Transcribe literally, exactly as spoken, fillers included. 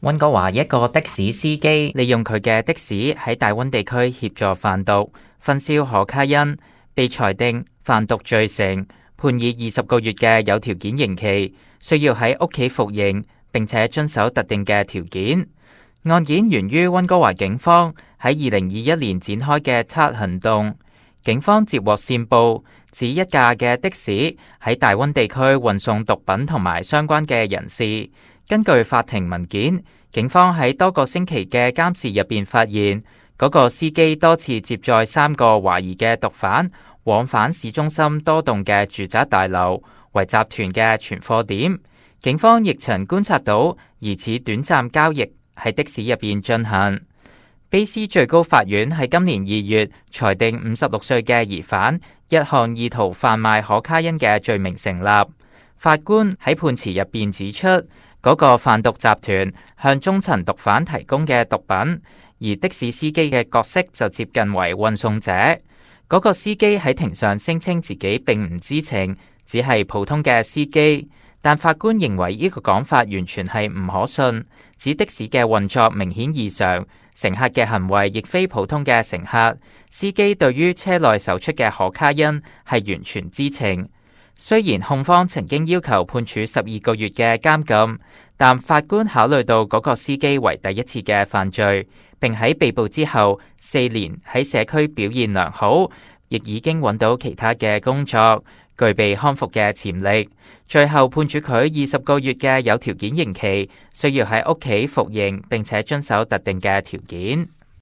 溫哥華一個的士司機利用佢嘅的，的士喺大溫地區協助販毒、分銷可卡因，被裁定販毒罪成，判以二十個月嘅有條件刑期，需要喺屋企服刑，並且遵守特定嘅條件。案件源於溫哥華警方喺二零二一年展開嘅七行動。警方接獲線報，指一架嘅的，的士喺大溫地區運送毒品同埋相關嘅人士。根據法庭文件，警方喺多個星期嘅監視入邊發現，嗰個司機多次接載三個懷疑嘅毒販往返市中心多棟嘅住宅大樓，為集團嘅存貨點。警方亦曾觀察到疑似短暫交易喺的士入邊進行。卑斯最高法院喺今年二月裁定五十六歲嘅疑犯一項意圖販賣可卡因嘅罪名成立。法官喺判詞入邊指出，嗰個販毒集團向中層毒販提供嘅毒品，而的士司機嘅角色就接近為運送者。嗰個司機喺庭上聲稱自己並唔知情，只係普通嘅司機，但法官認為呢個講法完全係唔可信，指的士嘅運作明顯異常，乘客嘅行為亦非普通嘅乘客，司機對於車內搜出嘅可卡因係完全知情。雖然控方曾經要求判處十二個月嘅監禁，但法官考慮到嗰個司機為第一次嘅犯罪，並喺被捕之後四年喺社區表現良好，亦已經揾到其他嘅工作，具備康復嘅潛力，最後判處佢二十個月嘅有條件刑期，需要喺屋企服刑，並且遵守特定嘅條件。